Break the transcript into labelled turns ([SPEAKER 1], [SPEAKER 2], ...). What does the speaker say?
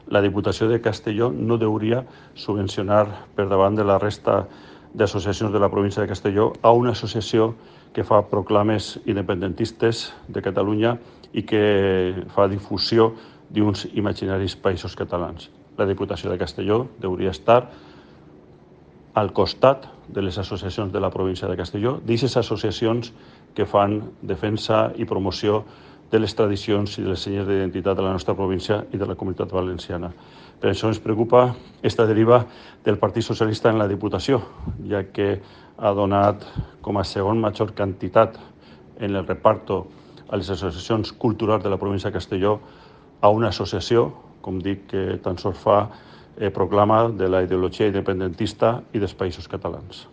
[SPEAKER 1] La Diputació de Castelló no hauria subvencionar per davant de la resta d'associacions de la província de Castelló a una associació que fa proclames independentistes de Catalunya i que fa difusió d'uns imaginaris països catalans. La Diputació de Castelló hauria estar al costat de les associacions de la província de Castelló, d'aquestes associacions que fan defensa i promoció de les tradicions i de les senyes d'identitat de la nostra província i de la Comunitat Valenciana. Per això ens preocupa aquesta deriva del Partit Socialista en la Diputació, ja que ha donat com a segon major quantitat en el reparto a les associacions culturals de la província de Castelló a una associació, com dic, que tan sols fa proclama de la ideologia independentista i dels països catalans.